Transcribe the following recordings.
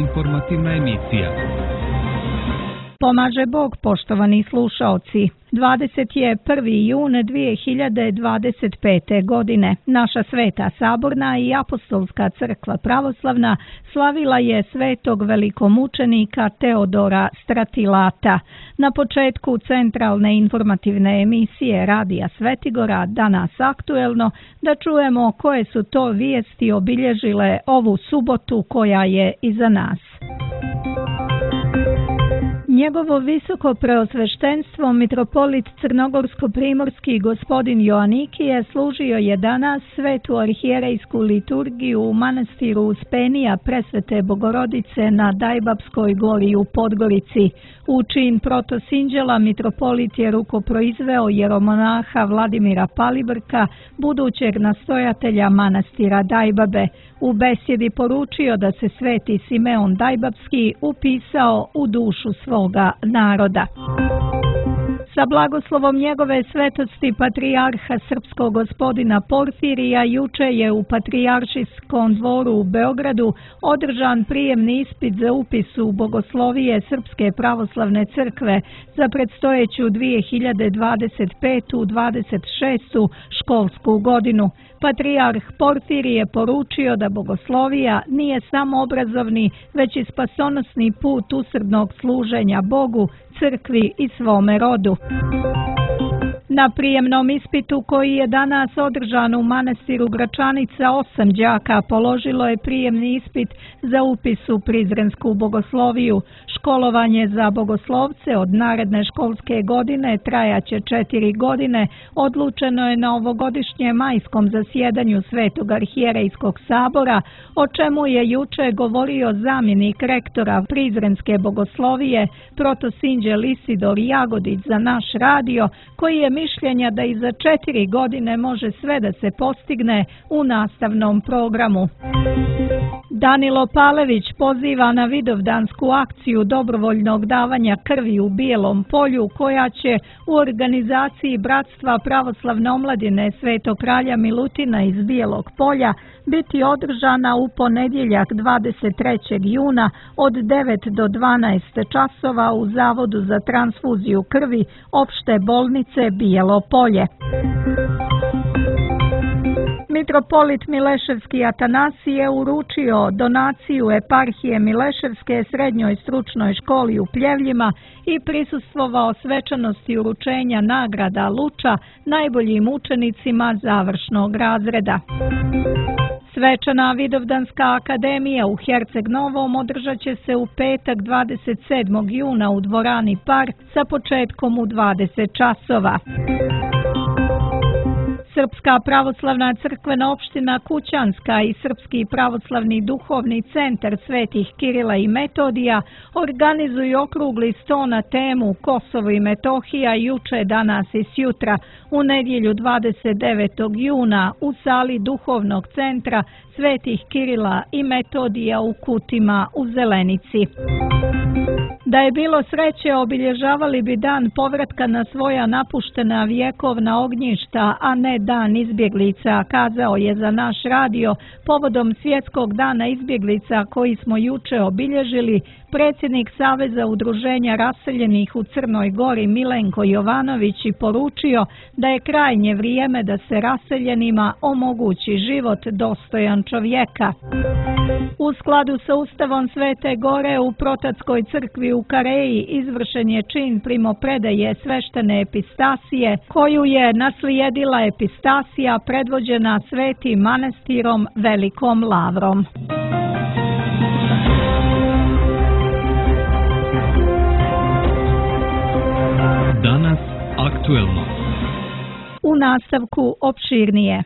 informativna emisija. Pomaže Bog, poštovani slušaoci. 21. jun 2025. godine naša Sveta Saborna i Apostolska crkva pravoslavna slavila je svetog velikomučenika Teodora Stratilata. Na početku centralne informativne emisije Radija Svetigora, danas aktuelno, da čujemo koje su to vijesti obilježile ovu subotu koja je iza nas. Njegovo visoko preosveštenstvo mitropolit crnogorsko-primorski gospodin Joanikije služio je danas svetu arhijerejsku liturgiju u manastiru Uspenija Presvete Bogorodice na Dajbapskoj gori u Podgorici. U čin protosinđela mitropolit je rukoproizveo jeromonaha Vladimira Palibrka, budućeg nastojatelja manastira Dajbabe. U besjedi poručio da se sveti Simeon Dajbapski upisao u dušu svoga naroda. Sa blagoslovom njegove svetosti patrijarha srpskog gospodina Porfirija juče je u Patrijaršijskom dvoru u Beogradu održan prijemni ispit za upis u bogoslovije Srpske pravoslavne crkve za predstojeću 2025-26. školsku godinu. Patrijarh Porfirij je poručio da bogoslovija nije samo obrazovni, već i spasonosni put usrdnog služenja Bogu, crkvi i svome rodu. Na prijemnom ispitu koji je danas održan u manastiru Gračanica 8 đaka položilo je prijemni ispit za upis u Prizrensku bogosloviju. Školovanje za bogoslovce od naredne školske godine trajaće 4 godine. Odlučeno je na ovogodišnjem majskom zasjedanju Svetog arhijerejskog sabora, o čemu je juče govorio zamjenik rektora Prizrenske bogoslovije protosinđel Isidor Jagodić za naš radio, koji je mišljenja da i za 4 godine može sve da se postigne u nastavnom programu. Danilo Palević poziva na vidovdansku akciju dobrovoljnog davanja krvi u Bijelom polju, koja će u organizaciji Bratstva pravoslavne omladine Svetog kralja Milutina iz Bijelog polja biti održana u ponedjeljak 23. juna od 9 do 12 časova u Zavodu za transfuziju krvi opšte bolnice Bijelo polje. Mitropolit Mileševski Atanasije je uručio donaciju eparhije Mileševske srednjoj stručnoj školi u Pljevljima i prisustvovao svečanosti uručenja nagrada Luča najboljim učenicima završnog razreda. Svečana Vidovdanska akademija u Herceg Novom održat će se u petak 27. juna u dvorani Par sa početkom u 20 časova. Srpska pravoslavna crkvena opština Kućanska i Srpski pravoslavni duhovni centar Svetih Kirila i Metodija organizuju okrugli sto na temu Kosovo i Metohija juče, danas i sjutra u nedjelju 29. juna u sali duhovnog centra Svetih Kirila i Metodija u Kutima u Zelenici. Da je bilo sreće, obilježavali bi dan povratka na svoja napuštena vjekovna ognjišta, a ne dan izbjeglica, kazao je za naš radio povodom Svjetskog dana izbjeglica koji smo juče obilježili predsjednik Saveza udruženja raseljenih u Crnoj Gori Milenko Jovanović i poručio da je krajnje vrijeme da se raseljenima omogući život dostojan čovjeka. U skladu sa Ustavom Svete Gore u Protatskoj crkvi u Kareji izvršen je čin primopredaje sveštene epistasije, koju je naslijedila epistasija predvođena Svetim manastirom Velikom Lavrom. Danas aktuelno. U nastavku opširnije.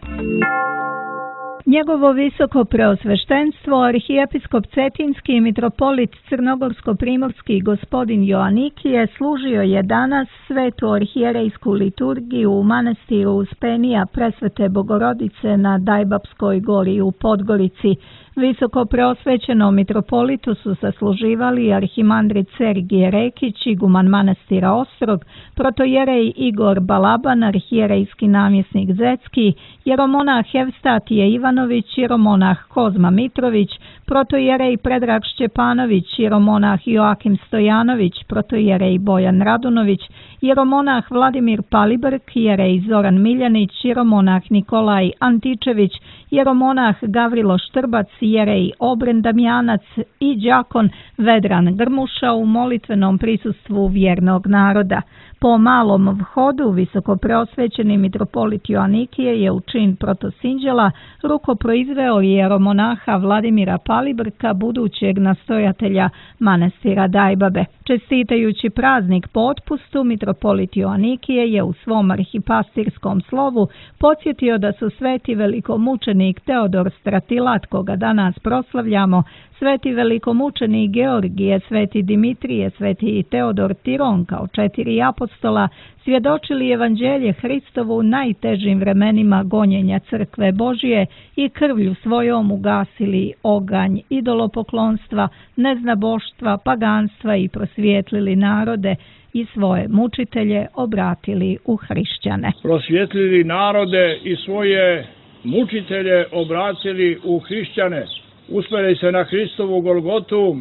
Njegovo visoko preosveštenstvo, arhijepiskop Cetinski mitropolit crnogorsko-primorski gospodin Joanikije služio je danas svetu arhijerejsku liturgiju u manastiru Uspenija Presvete Bogorodice na Dajbapskoj gori u Podgorici. Visoko preosvećenom mitropolitu su sasluživali arhimandrit Sergije Rekić, iguman manastira Ostrog, protojerej Igor Balaban, arhijerejski namjesnik Zecki, jeromonah Evstatije Ivanović, jeromonah Kozma Mitrović, protojerej Predrag Šćepanović, jeromonah Joakim Stojanović, protojerej Bojan Radunović, jeromonah Vladimir Palibrk, jerej Zoran Miljanić, jeromonah Nikolaj Antičević, jeromonah Gavrilo Štrbac, jerej Obren Damjanac i đakon Vedran Grmuša u molitvenom prisustvu vjernog naroda. Po malom vhodu visoko preosvećeni mitropolit Joanikije je u čin protosinđela rukoproizveo jeromonaha Vladimira Palibrka, budućeg nastojatelja manastira Dajbabe. Čestitajući praznik po otpustu, mitropolit Joanikije je u svom arhipastirskom slovu podsjetio da su sveti velikomučenik Teodor Stratilat, koga danas proslavljamo, sveti velikomučenik Georgije, sveti Dimitrije, sveti Teodor Tiron kao 4 apostola svjedočili evanđelje Hristovu u najtežim vremenima gonjenja crkve Božije i krvlju svojom ugasili oganj idolopoklonstva, neznaboštva, paganstva i prosvijetlili narode i svoje mučitelje obratili u hrišćane. Prosvijetlili narode i svoje mučitelje obratili u hrišćane. Uspjeli se na Hristovu Golgotu,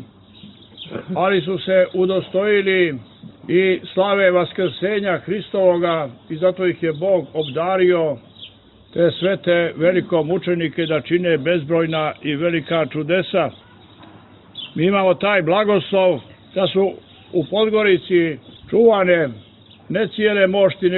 ali su se udostojili i slave vaskrsenja Hristovoga i zato ih je Bog obdario, te svete velikomučenike, da čine bezbrojna i velika čudesa. Mi imamo taj blagoslov da su u Podgorici čuvane ne cijele mošti,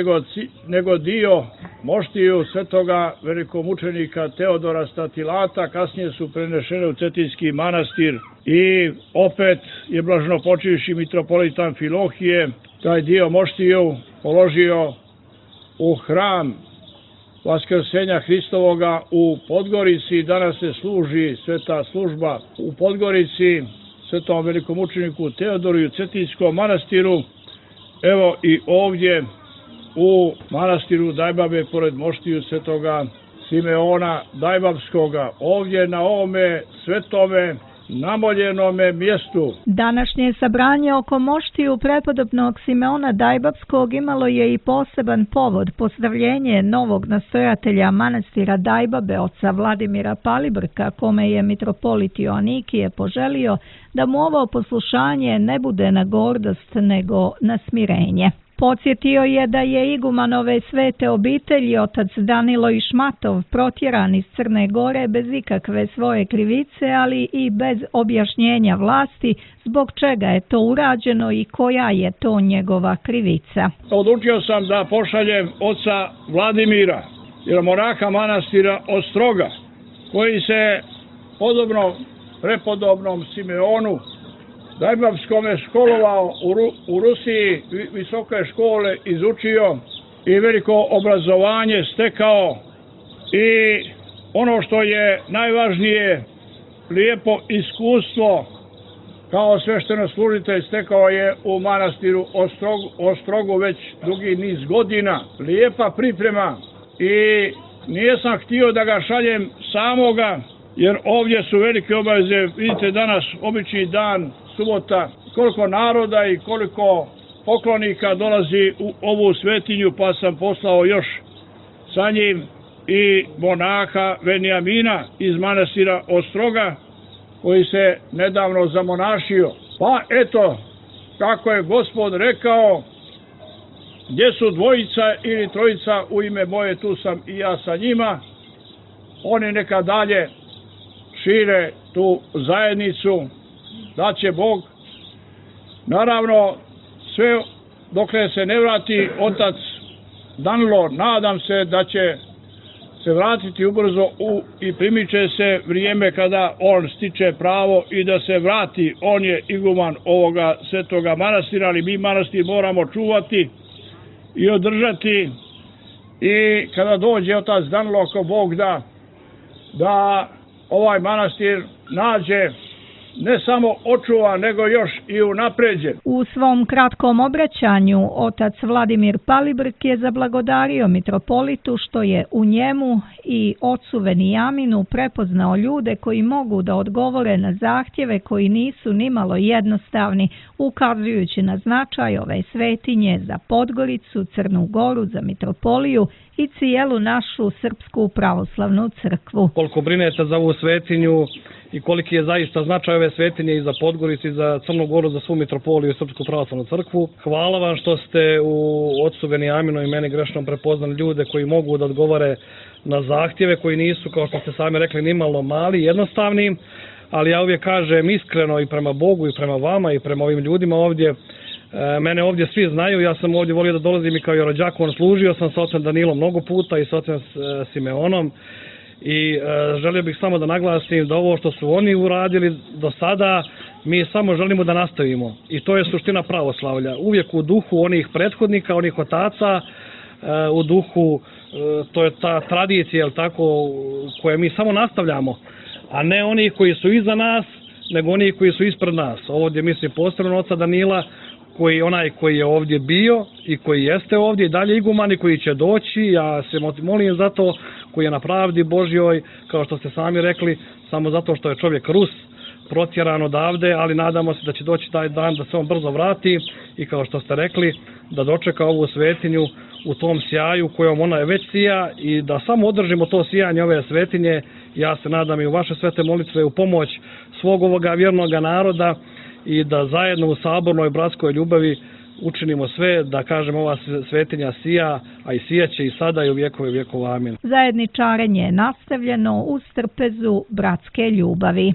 nego dio moštiju svetoga velikomučenika Teodora Stratilata. Kasnije su prenešene u Cetinski manastir i opet je blaženopočivši mitropolit Amfilohije taj dio moštiju položio u hram vaskrsenja Hristovoga u Podgorici. Danas se služi sveta služba u Podgorici svetom velikomučeniku Teodoru i u Cetinskom manastiru. Evo i ovdje u manastiru Dajbabe pored moštiju svetoga Simeona Dajbabskoga, ovdje na ovome svetome namoljenome mjestu. Današnje sabranje oko moštiju prepodobnog Simeona Dajbabskog imalo je i poseban povod, pozdravljenje novog nastojatelja manastira Dajbabe, oca Vladimira Palibrka, kome je mitropolit Joanikije poželio da mu ovo poslušanje ne bude na gordost nego na smirenje. Podsjetio je da je igumanove svete obitelji otac Danilo Išmatov protjeran iz Crne Gore bez ikakve svoje krivice, ali i bez objašnjenja vlasti zbog čega je to urađeno i koja je to njegova krivica. Odlučio sam da pošaljem oca Vladimira, jeromonaha manastira Ostroga, koji se podobno prepodobnom Simeonu Dajbabskome školovao u Rusiji, visoke škole izučio i veliko obrazovanje stekao i ono što je najvažnije, lijepo iskustvo kao sveštenoslужitelj stekao je u manastiru Ostrogu već dugi niz godina. Lijepa priprema i nisam htio da ga šaljem samoga, jer ovdje su velike obaveze. Vidite danas obični dan, subota, koliko naroda i koliko poklonika dolazi u ovu svetinju, pa sam poslao još sa njim i monaha Venijamina iz manastira Ostroga, koji se nedavno zamonašio. Pa eto, kako je Gospod rekao, gdje su dvojica ili trojica u ime moje, tu sam i ja sa njima. Oni neka dalje šire tu zajednicu, da će Bog. Naravno, sve dokle se ne vrati otac Danilo, nadam se da će se vratiti ubrzo i primiče se vrijeme kada on stiče pravo i da se vrati. On je iguman ovoga svetoga manastira, ali mi manastir moramo čuvati i održati. I kada dođe otac Danilo, ako Bog da ovaj manastir nađe ne samo očuvan, nego još i unapređen. U svom kratkom obraćanju otac Vladimir Palibrk je zablagodario mitropolitu što je u njemu i ocu Venijaminu prepoznao ljude koji mogu da odgovore na zahtjeve koji nisu nimalo jednostavni, ukazujući na značaj ove svetinje za Podgoricu, Crnu Goru, za mitropoliju i cijelu našu Srpsku pravoslavnu crkvu. Koliko brinete za ovu svetinju i koliki je zaista značaj ove svetinje i za Podgoricu i za Crnu Goru, za svu mitropoliju i Srpsku pravoslavnu crkvu. Hvala vam što ste u ocu Venijaminu i meni grešnom prepoznali ljude koji mogu da odgovore na zahtjeve koji nisu, kao što ste sami rekli, nimalo mali, jednostavni, ali ja uvijek kažem iskreno i prema Bogu i prema vama i prema ovim ljudima ovdje. Mene ovdje svi znaju, ja sam ovdje volio da dolazim i kao rođakon, služio sam sa ocem Danilom mnogo puta i sa ocem Simeonom i želio bih samo da naglasim da ovo što su oni uradili do sada, mi samo želimo da nastavimo i to je suština pravoslavlja. Uvijek u duhu onih prethodnika, onih otaca, u duhu, to je ta tradicija, jel tako, koje mi samo nastavljamo, a ne oni koji su iza nas, nego oni koji su ispred nas. Ovdje mislim posebno oca Danila, onaj koji je ovdje bio i koji jeste ovdje i dalje iguman i koji će doći, ja se molim za to, koji je na pravdi Božjoj, kao što ste sami rekli, samo zato što je čovjek Rus, protjeran odavde, ali nadamo se da će doći taj dan da se on brzo vrati i kao što ste rekli, da dočeka ovu svetinju u tom sjaju kojom ona je već sija i da samo održimo to sijanje ove svetinje. Ja se nadam i u vaše svete molitve u pomoć svog ovoga vjernoga naroda i da zajedno u sabornoj bratskoj ljubavi učinimo sve da kažem ova svetinja sija, a i sijaće i sada i u vjekove vjekova. Amin. Zajedničarenje je nastavljeno uz trpezu bratske ljubavi.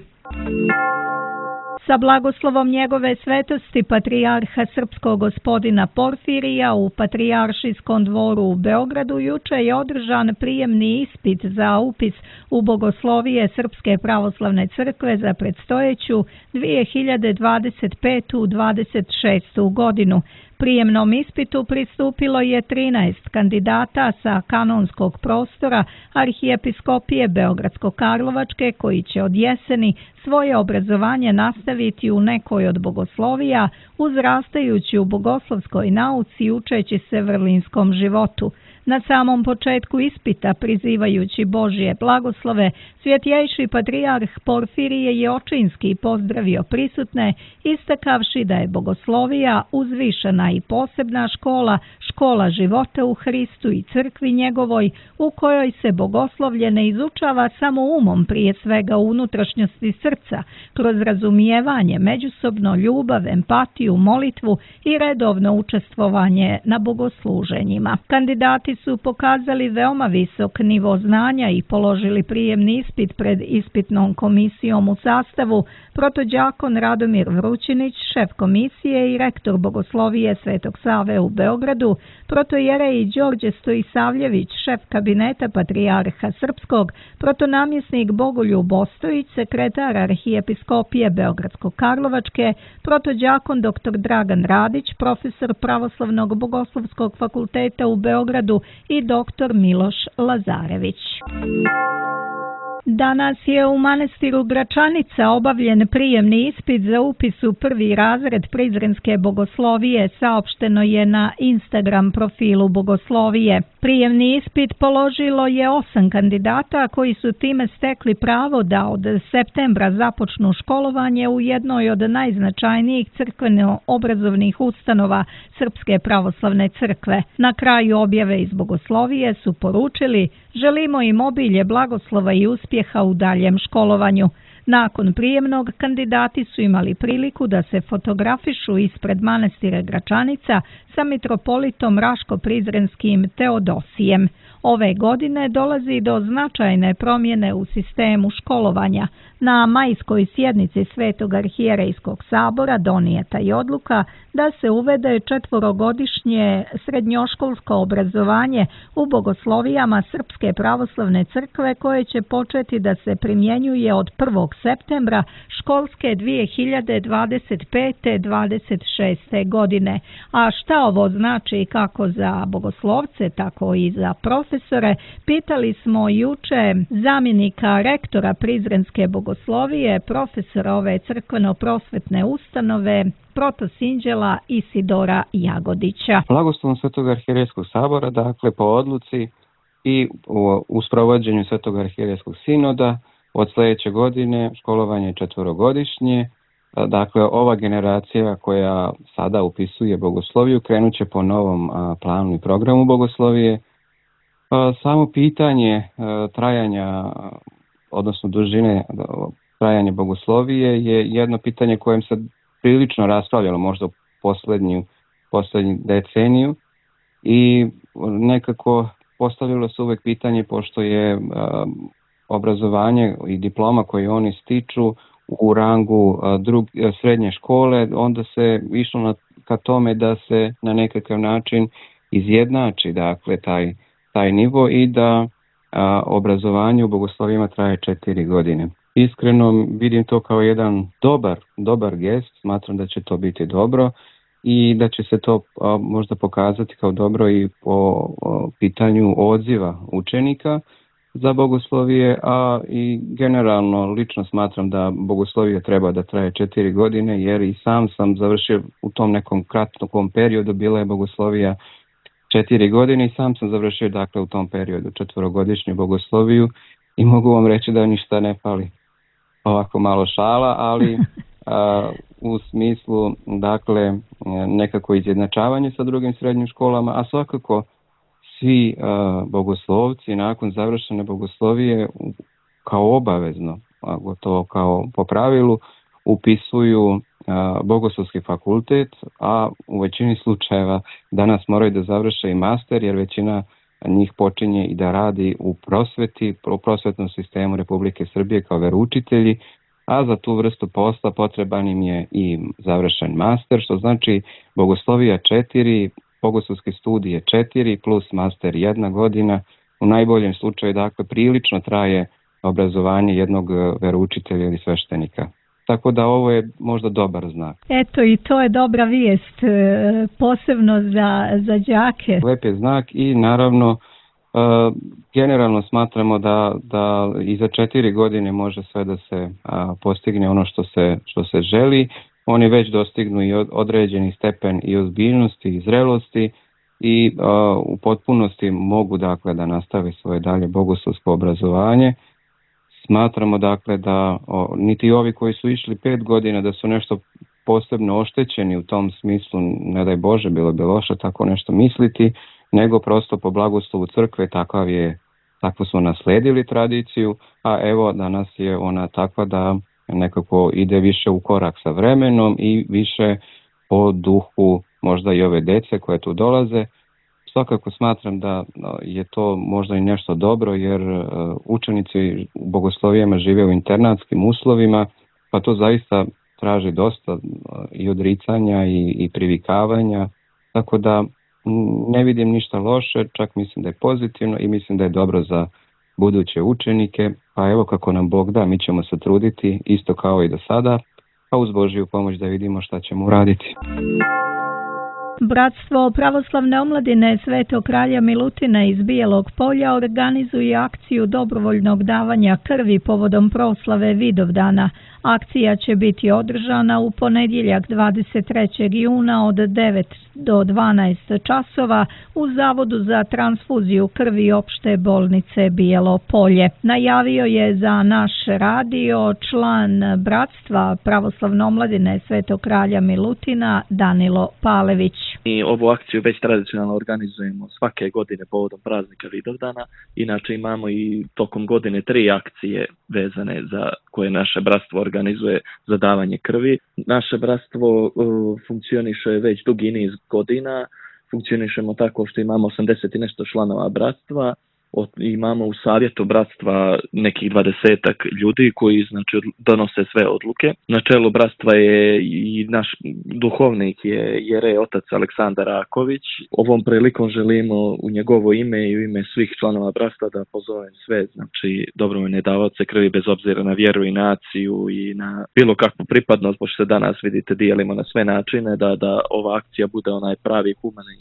Sa blagoslovom njegove svetosti patrijarha srpskog gospodina Porfirija u Patrijaršijskom dvoru u Beogradu juče je održan prijemni ispit za upis u bogoslovije Srpske pravoslavne crkve za predstojeću 2025-26. godinu. Prijemnom ispitu pristupilo je 13 kandidata sa kanonskog prostora Arhijepiskopije Beogradsko-Karlovačke koji će od jeseni svoje obrazovanje nastaviti u nekoj od bogoslovija, uzrastajući u bogoslovskoj nauci i učeći se vrlinskom životu. Na samom početku ispita, prizivajući Božje blagoslove, svjetjejši patrijarh Porfirije je očinski pozdravio prisutne, istakavši da je bogoslovija uzvišena i posebna škola, škola života u Hristu i crkvi njegovoj, u kojoj se bogoslovlje ne izučava samo umom, prije svega u unutrašnjosti srca, kroz razumijevanje, međusobno ljubav, empatiju, molitvu i redovno učestvovanje na bogosluženjima. Kandidati su pokazali veoma visok nivo znanja i položili prijemni ispit pred ispitnom komisijom u sastavu protođakon Radomir Vrućinić, šef komisije i rektor bogoslovije Svetog Save u Beogradu, protojerej Đorđe Stojisavljević, šef kabineta patrijarha srpskog, protonamjesnik Bogoljub Ostojić, sekretar Arhijepiskopije Beogradsko-Karlovačke, protođakon dr. Dragan Radić, profesor Pravoslavnog bogoslovskog fakulteta u Beogradu i dr. Miloš Lazarević. Danas je u manastiru Gračanica obavljen prijemni ispit za upis u prvi razred Prizrenske bogoslovije, saopšteno je na Instagram profilu bogoslovije. Prijemni ispit položilo je 8 kandidata koji su time stekli pravo da od septembra započnu školovanje u jednoj od najznačajnijih crkveno-obrazovnih ustanova Srpske pravoslavne crkve. Na kraju objave iz bogoslovije su poručili: želimo im obilje blagoslova i uspjeha u daljem školovanju. Nakon prijemnog, kandidati su imali priliku da se fotografišu ispred manastira Gračanica sa mitropolitom Raško-Prizrenskim Teodosijem. Ove godine dolazi do značajne promjene u sistemu školovanja. Na majskoj sjednici Svetog arhijerejskog sabora donijeta je odluka da se uvede 4-godišnje srednjoškolsko obrazovanje u bogoslovijama Srpske pravoslavne crkve koje će početi da se primjenjuje od 1. septembra školske 2025-26. godine. A šta ovo znači kako za bogoslovce, tako i za profesore profesore. Pitali smo juče zamjenika rektora Prizrenske bogoslovije, profesora ove crkveno-prosvetne ustanove, protosinđela Isidora Jagodića. Blagoslovom Svetog arhijerejskog sabora, dakle po odluci i u sprovođenju Svetog arhijerejskog sinoda od sljedeće godine školovanje je 4-godišnje. Dakle, ova generacija koja sada upisuje bogosloviju krenut će po novom planu i programu bogoslovije. Samo pitanje trajanja, odnosno dužine trajanja bogoslovije je jedno pitanje kojem se prilično raspravljalo možda u posljednju deceniju i nekako postavilo se uvijek pitanje, pošto je obrazovanje i diploma koje oni stiču u rangu srednje škole, onda se išlo ka tome da se na nekakav način izjednači dakle taj nivo i da obrazovanje u bogoslovijama traje 4 godine. Iskreno vidim to kao jedan dobar gest, smatram da će to biti dobro i da će se to možda pokazati kao dobro i po pitanju odziva učenika za bogoslovije, a i generalno lično smatram da bogoslovije treba da traje 4 godine, jer i sam završio u tom nekom kratkom periodu, bila je bogoslovija 4 godine i sam sam završio dakle u tom periodu 4-godišnju bogosloviju i mogu vam reći da ništa ne fali. Ovako malo šala, ali u smislu dakle nekako izjednačavanje sa drugim srednjim školama, a svakako svi bogoslovci nakon završene bogoslovije kao obavezno, gotovo kao po pravilu, upisuju bogoslovski fakultet, a u većini slučajeva danas moraju da završe i master, jer većina njih počinje i da radi u prosveti, u prosvetnom sistemu Republike Srbije kao veroučitelji, a za tu vrstu posla potreban im je i završen master, što znači bogoslovija 4, bogoslovski studije 4 plus master 1 godina. U najboljem slučaju dakle prilično traje obrazovanje jednog veroučitelja ili sveštenika. Tako da ovo je možda dobar znak. Eto, i to je dobra vijest, posebno za đake. Lep je znak i naravno generalno smatramo da i za 4 godine može sve da se postigne ono što se želi. Oni već dostignu i određeni stepen i ozbiljnosti i zrelosti i u potpunosti mogu dakle da nastave svoje dalje bogoslovsko obrazovanje. Smatramo dakle da niti ovi koji su išli 5 godina da su nešto posebno oštećeni u tom smislu, ne daj Bože, bilo bi loše tako nešto misliti, nego prosto po blagoslovu crkve takvu smo nasledili tradiciju, a evo danas je ona takva da nekako ide više u korak sa vremenom i više po duhu možda i ove dece koje tu dolaze. Svakako smatram da je to možda i nešto dobro, jer učenici u bogoslovijama žive u internatskim uslovima, pa to zaista traži dosta i odricanja i privikavanja, tako da ne vidim ništa loše, čak mislim da je pozitivno i mislim da je dobro za buduće učenike, pa evo kako nam Bog da, mi ćemo se truditi isto kao i do sada, a uz Božju pomoć da vidimo šta ćemo uraditi. Bratstvo pravoslavne omladine Svetog kralja Milutina iz Bijelog Polja organizuje akciju dobrovoljnog davanja krvi povodom proslave Vidovdana. Akcija će biti održana u ponedjeljak 23. juna od 9 do 12 časova u Zavodu za transfuziju krvi opšte bolnice Bijelo Polje. Najavio je za naš radio član Bratstva pravoslavne omladine Svetog kralja Milutina Danilo Palević. Mi ovu akciju već tradicionalno organizujemo svake godine povodom praznika Vidovdana. Inače imamo i tokom godine 3 akcije vezane za koje naše bratstvo organizuje za davanje krvi. Naše bratstvo funkcioniše već dugi niz godina. Funkcionišemo tako što imamo 80 i nešto članova bratstva. imamo u savjetu bratstva nekih 20-ak ljudi koji znači donose sve odluke. Na čelu bratstva je i naš duhovnik je jerej otac Aleksandar Raković. Ovom prilikom želimo u njegovo ime i u ime svih članova bratstva da pozovem sve, znači dobrovoljne davaoce krvi bez obzira na vjeru i naciju i na bilo kakvu pripadnost, pošto se danas vidite dijelimo na sve načine, da ova akcija bude onaj pravi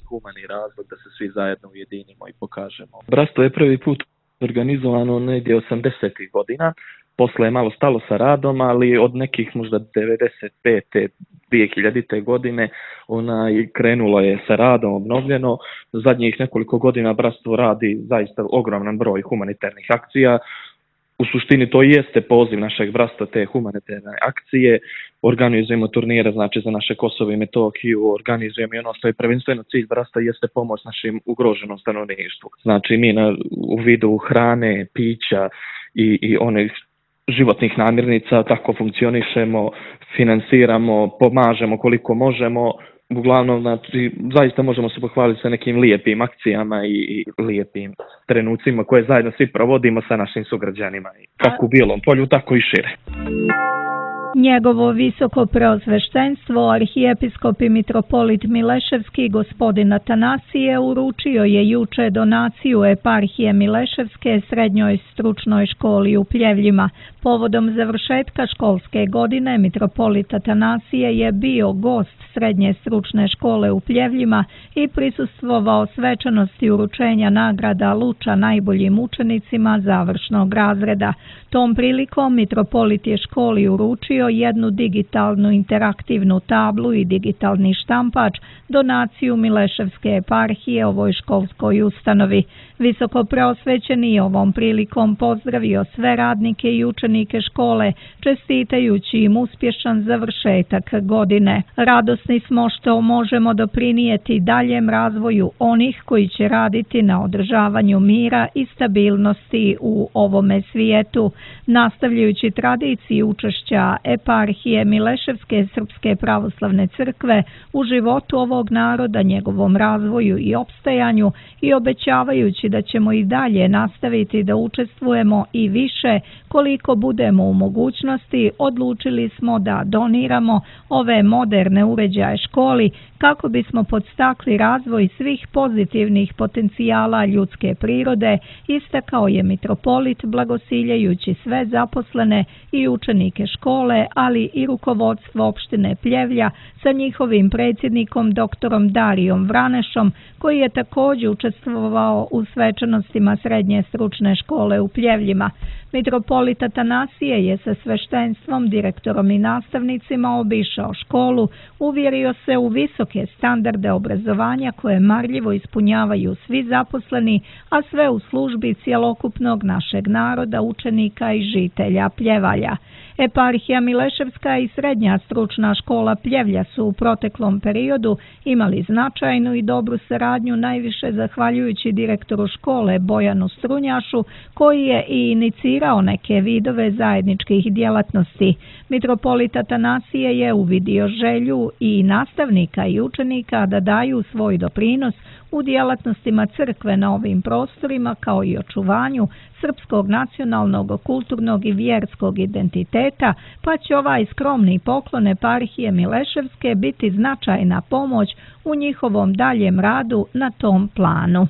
humani razlog, da se svi zajedno ujedinimo i pokažemo. Bratstvo je prvi put organizovano negdje 80. godina, posle je malo stalo sa radom, ali od nekih možda 95. 2000. godine krenulo je sa radom obnovljeno. Zadnjih nekoliko godina bratstvo radi zaista ogroman broj humanitarnih akcija. U suštini to jeste poziv našeg bratstva, te humanitarne akcije. Organizujemo turnire, znači za naše Kosovo i Metohiju, organizujemo i ono što je prvenstveno cilj bratstva jeste pomoć našim ugroženom stanovništvu. Znači mi u vidu hrane, pića i onih životnih namirnica tako funkcionišemo, finansiramo, pomažemo koliko možemo. Uglavnom, znači, zaista možemo se pohvaliti sa nekim lijepim akcijama i lijepim trenucima koje zajedno svi provodimo sa našim sugrađanima, kako u Bijelom Polju, tako i šire. Njegovo visoko preosveštenstvo, arhijepiskop i mitropolit Mileševski gospodin Atanasije uručio je juče donaciju eparhije Mileševske srednjoj stručnoj školi u Pljevljima. Povodom završetka školske godine mitropolit Atanasije je bio gost srednje stručne škole u Pljevljima i prisustvovao svečanosti uručenja nagrada Luča najboljim učenicima završnog razreda. Tom prilikom mitropolit je školi uručio jednu digitalnu interaktivnu tablu i digitalni štampač, donaciju Mileševske eparhije ovoj školskoj ustanovi. Visoko preosvećeni je ovom prilikom pozdravio sve radnike i učenike škole, čestitajući im uspješan završetak godine. Radosni smo što možemo doprinijeti daljem razvoju onih koji će raditi na održavanju mira i stabilnosti u ovome svijetu. Nastavljajući tradiciju učešća eparhije Mileševske Srpske pravoslavne crkve u životu ovog naroda, njegovom razvoju i opstajanju i obećavajući da ćemo i dalje nastaviti da učestvujemo i više koliko budemo u mogućnosti, odlučili smo da doniramo ove moderne uređaje školi kako bismo podstakli razvoj svih pozitivnih potencijala ljudske prirode, istakao je mitropolit blagosiljajući sve zaposlene i učenike škole, ali i rukovodstvo opštine Pljevlja sa njihovim predsjednikom doktorom Darijom Vranešom, koji je također učestvovao u svečanostima srednje stručne škole u Pljevljima. Mitropolit Atanasije je sa sveštenstvom, direktorom i nastavnicima obišao školu, uvjerio se u visoke standarde obrazovanja koje marljivo ispunjavaju svi zaposleni, a sve u službi cjelokupnog našeg naroda, učenika i žitelja Pljevalja. Eparhija Mileševska i srednja stručna škola Pljevlja su u proteklom periodu imali značajnu i dobru saradnju, najviše zahvaljujući direktoru škole Bojanu Strunjašu, koji je i inicirao neke vidove zajedničkih djelatnosti. Mitropolit Atanasije je uvidio želju i nastavnika i učenika da daju svoj doprinos u djelatnostima crkve na ovim prostorima, kao i očuvanju srpskog nacionalnog, kulturnog i vjerskog identiteta, pa će ovaj skromni poklon eparhije Mileševske biti značajna pomoć u njihovom daljem radu na tom planu.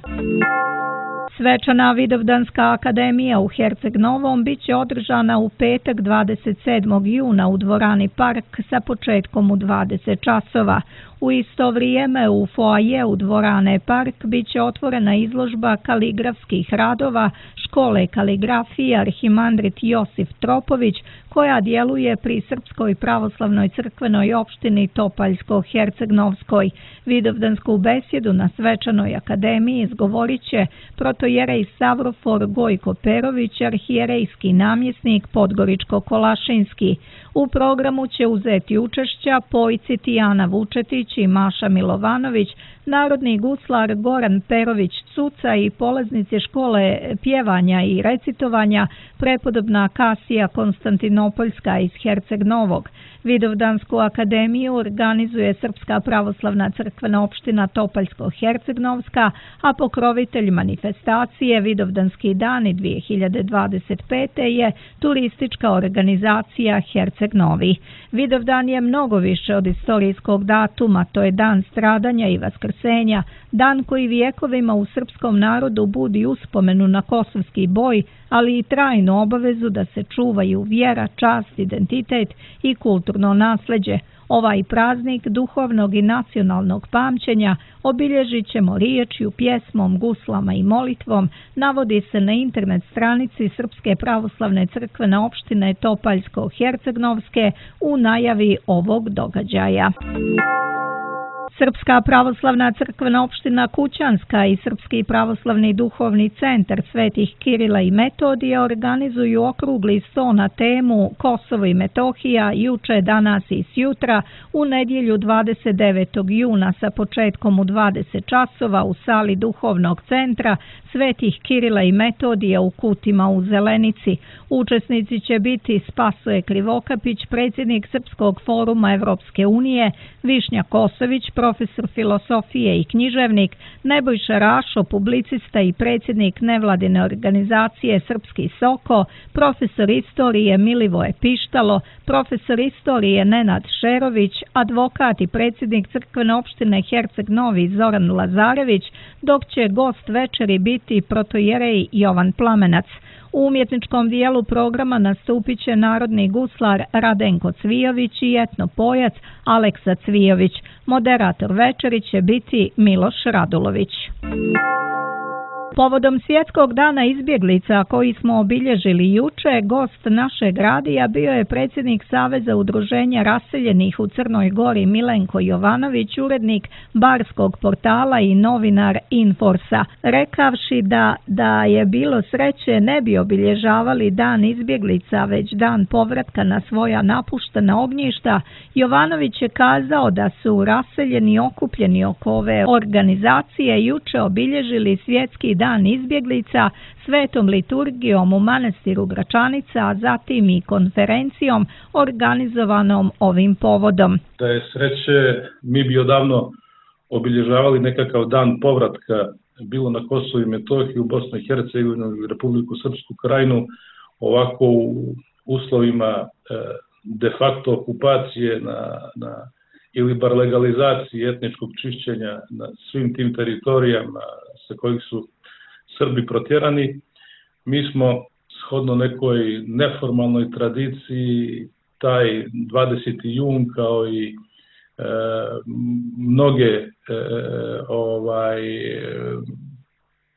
Svečana Vidovdanska akademija u Herceg Novom bit će održana u petak 27. juna u dvorani Park sa početkom u 20 časova. U isto vrijeme u foajeu dvorane Park bit će otvorena izložba kaligrafskih radova škole kaligrafije Arhimandrit Josif Tropović, koja djeluje pri Srpskoj pravoslavnoj crkvenoj opštini Topaljsko-Hercegnovskoj. Vidovdansku besjedu na svečanoj akademiji izgovorit će protojerej Savrofor Gojko Perović, arhijerejski namjesnik Podgoričko-Kolašinski. U programu će uzeti učešća pojci Tijana Vučetić i Maša Milovanović, narodni guslar Goran Perović-Cuca i polaznici škole pjevanja i recitovanja prepodobna Kasija Konstantinopoljska iz Herceg Novog. Vidovdansku akademiju organizuje Srpska pravoslavna crkvena opština Topaljsko-Hercegnovska, a pokrovitelj manifestacije Vidovdanski dani 2025. je turistička organizacija Herceg Novi. Vidovdan je mnogo više od istorijskog datuma, to je dan stradanja i vaskrsenja, dan koji vijekovima u srpskom narodu budi uspomenu na kosovski boj, ali i trajnu obavezu da se čuvaju vjera, čast, identitet i kulturno nasleđe. Ovaj praznik duhovnog i nacionalnog pamćenja obilježit ćemo riječju, pjesmom, guslama i molitvom, navodi se na internet stranici Srpske pravoslavne crkvene opštine Topaljsko-Hercegnovske u najavi ovog događaja. Srpska pravoslavna crkvena opština Kućanska i Srpski pravoslavni duhovni centar Svetih Kirila i Metodija organizuju okrugli sto na temu Kosovo i Metohija juče, danas i sjutra u nedjelju 29. juna sa početkom u 20 časova u sali duhovnog centra Svetih Kirila i Metodija u Kutima u Zelenici. Učesnici će biti Spasoje Krivokapić, predsjednik Srpskog foruma Evropske unije, Višnja Kosović, profesor filosofije i književnik, Nebojša Rašo, publicista i predsjednik nevladine organizacije Srpski Soko, profesor istorije Milivoje Pištalo, profesor istorije Nenad Šerović, advokat i predsjednik crkvene opštine Herceg Novi Zoran Lazarević, dok će gost večeri biti protojerej Jovan Plamenac. U umjetničkom dijelu programa nastupit će narodni guslar Radenko Cvijović i etnopojac Aleksa Cvijović. Moderator večeri će biti Miloš Radulović. Povodom Svjetskog dana izbjeglica koji smo obilježili juče, gost našeg radija bio je predsjednik Saveza udruženja raseljenih u Crnoj Gori Milenko Jovanović, urednik Barskog portala i novinar Inforsa. Rekavši da je bilo sreće ne bi obilježavali dan izbjeglica, već dan povratka na svoja napuštena ognjišta, Jovanović je kazao da su raseljeni okupljeni oko ove organizacije juče obilježili Svjetski dan izbjeglica svetom liturgijom u manastiru Gračanica, a zatim i konferencijom organizovanom ovim povodom. Da je sreće, mi bi odavno obilježavali nekakav dan povratka, bilo na Kosovu i Metohiji, u Bosnu i Hercegovinu ili Republiku Srpsku Krajinu, ovako u uslovima de facto okupacije ili bar legalizacije etničkog čišćenja na svim tim teritorijama sa kojih su Srbi protjerani. Mi smo shodno nekoj neformalnoj tradiciji taj 20. jun kao i mnoge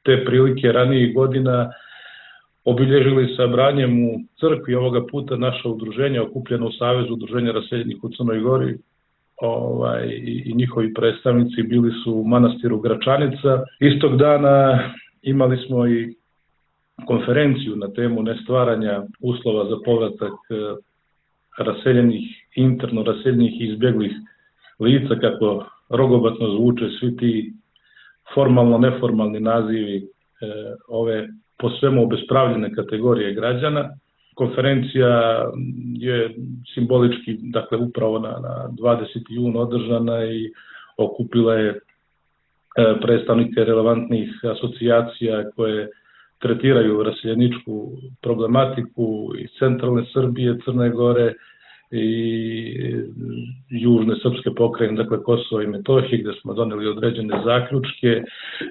te prilike ranijih godina obilježili sabranjem u crkvi. Ovoga puta naša udruženja okupljena u Savezu udruženja raseljenih u Crnoj Gori i njihovi predstavnici bili su u manastiru Gračanica. Istog dana imali smo i konferenciju na temu nestvaranja uslova za povratak raseljenih, interno raseljenih i izbjeglih lica, kako rogobatno zvuče svi ti formalno-neformalni nazivi ove po svemu obespravljene kategorije građana. Konferencija je simbolički, dakle, upravo na 20. jun održana i okupila je predstavnike relevantnih asocijacija koje tretiraju raseljeničku problematiku iz centralne Srbije, Crne Gore i južne srpske pokrajine, dakle Kosovo i Metohije, gde smo doneli određene zaključke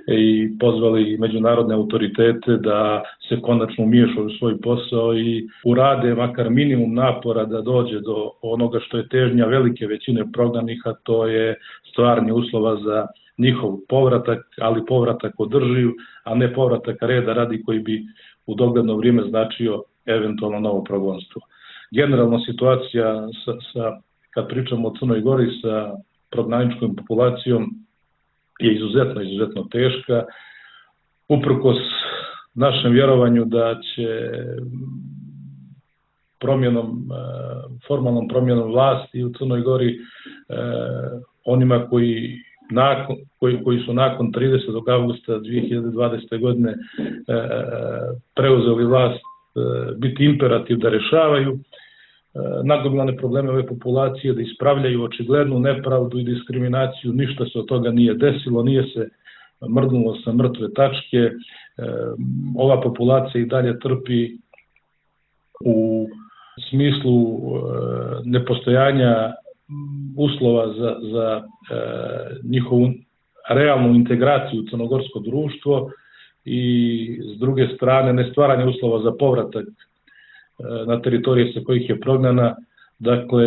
i pozvali međunarodne autoritete da se konačno umiješaju u svoj posao i urade makar minimum napora da dođe do onoga što je težnja velike većine prognanih, a to je stvaranje uslova za njihov povratak, ali povratak održiv, a ne povratak reda radi koji bi u dogledno vrijeme značio eventualno novo progonstvo. Generalno situacija kad pričamo o Crnoj Gori sa prognaničkom populacijom je izuzetno teška. Uprkos našem vjerovanju da će formalnom promjenom vlasti u Crnoj Gori onima koji koji su nakon 30. augusta 2020. godine preuzeli vlast biti imperativ da rešavaju nagomilane probleme ove populacije, da ispravljaju očiglednu nepravdu i diskriminaciju. Ništa se od toga nije desilo, nije se mrdnulo sa mrtve tačke. Ova populacija i dalje trpi u smislu nepostojanja uslova za njihovu realnu integraciju u crnogorsko društvo i s druge strane ne stvaranje uslova za povratak na teritorije sa kojih je prognana. Dakle,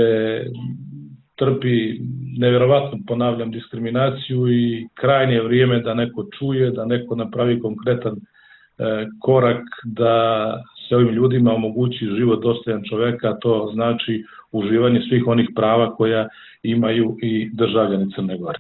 trpi nevjerovatno, ponavljam, diskriminaciju i krajnje je vrijeme da neko čuje, da neko napravi konkretan korak da se ovim ljudima omogući život dostojan čoveka, a to znači uživanje svih onih prava koja imaju i državljani Crne Gore.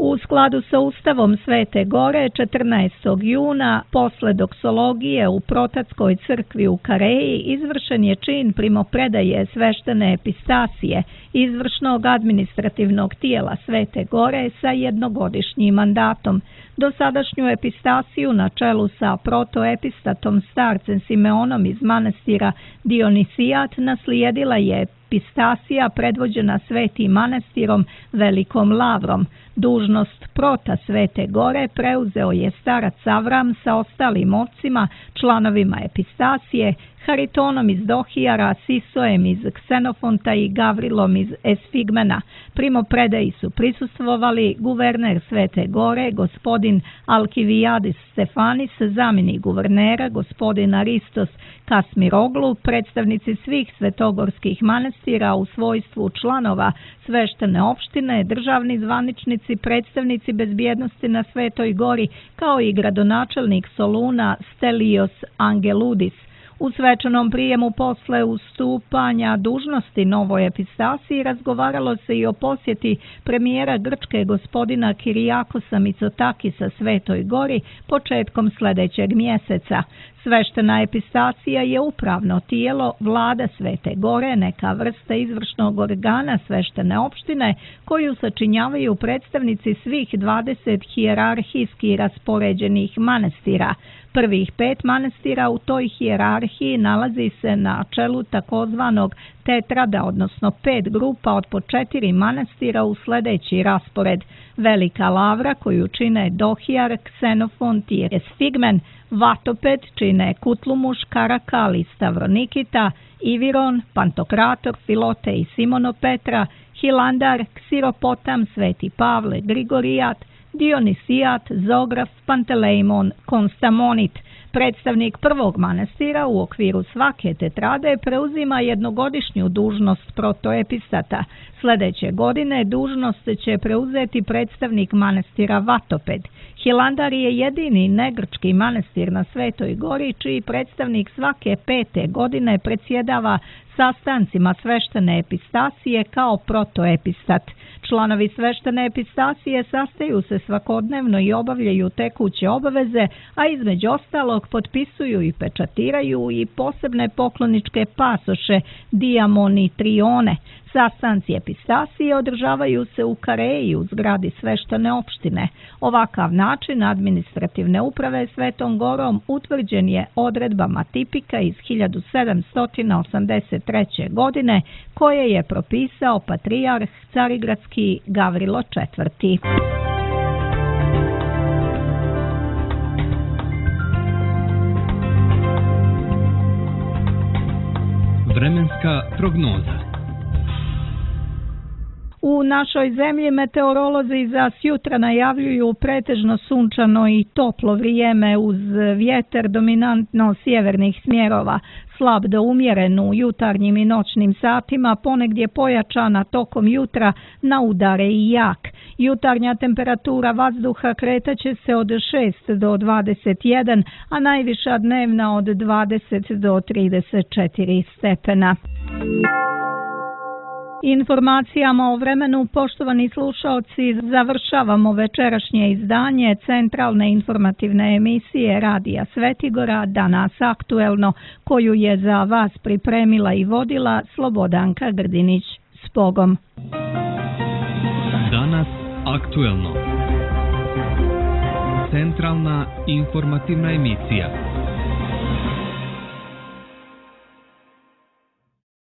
U skladu sa Ustavom Svete Gore, 14. juna, posle doksologije u Protatskoj crkvi u Kareji, izvršen je čin primopredaje sveštene epistasije izvršnog administrativnog tijela Svete Gore sa jednogodišnjim mandatom. Dosadašnju epistasiju na čelu sa protoepistatom starcem Simeonom iz manastira Dionisijat naslijedila je epistasija predvođena Svetim manastirom Velikom Lavrom. Dužnost prota Svete Gore preuzeo je starac Avram sa ostalim ocima, članovima epistasije, Haritonom iz Dohijara, Sisoem iz Ksenofonta i Gavrilom iz Esfigmena. Primopredaji su prisustvovali guverner Svete Gore, gospodin Alkivijadis Stefanis, zamjenik guvernera, gospodin Aristos Kasmiroglu, predstavnici svih svetogorskih manastira u svojstvu članova sveštene opštine, državni zvaničnici, predstavnici bezbjednosti na Svetoj Gori, kao i gradonačelnik Soluna Stelios Angeludis. U svečanom prijemu posle ustupanja dužnosti novoj epistasiji razgovaralo se i o posjeti premijera Grčke gospodina Kirijakosa Mitsotakisa Svetoj Gori početkom sljedećeg mjeseca. Sveštena epistacija je upravno tijelo vlada Svete Gore, neka vrsta izvršnog organa sveštene opštine koju sačinjavaju predstavnici svih 20 hijerarhijski raspoređenih manastira. Prvih 5 manastira u toj hijerarhiji nalazi se na čelu takozvanog tetrada, odnosno 5 grupa od po 4 manastira u sljedeći raspored: Velika Lavra, koju čine Dohijar, Ksenofont i Esfigmen; Vatoped čine Kutlumuš, Karakal i Stavronikita; Iviron, Pantokrator, Filote i Simonopetra; Hilandar, Ksiropotam, Sveti Pavle, Grigorijat; Dionisijat, Zograf, Pantelejmon, Konstamonit. Predstavnik prvog manastira u okviru svake tetrade preuzima jednogodišnju dužnost protoepistata. Sljedeće godine dužnost će preuzeti predstavnik manastira Vatoped. Hilandar je jedini negrčki manastir na Svetoj Gori čiji predstavnik svake 5. godine predsjedava sastancima sveštene epistacije kao protoepistat. Članovi sveštene epistacije sastaju se svakodnevno i obavljaju tekuće obaveze, a između ostalog potpisuju i pečatiraju i posebne pokloničke pasoše, diamonitrione. Sastanci epistacije održavaju se u Kareji u zgradi sveštene opštine. Ovakav način administrativne uprave Svetom Gorom utvrđen je odredbama tipika iz 1783. godine koje je propisao patrijarh Carigradski Gavrilo IV. Vremenska prognoza. U našoj zemlji meteorolozi za sjutra najavljuju pretežno sunčano i toplo vrijeme uz vjetar dominantno sjevernih smjerova, slab do umjeren u jutarnjim i noćnim satima, ponegdje pojačana tokom jutra na udare i jak. Jutarnja temperatura vazduha kretaće se od 6 do 21, a najviša dnevna od 20 do 34 stepena. Informacijama o vremenu, poštovani slušaoci, završavamo večerašnje izdanje centralne informativne emisije Radija Svetigora Danas aktuelno, koju je za vas pripremila i vodila Slobodanka Grdinić. S Bogom! Danas Aktuelno. Centralna informativna emisija.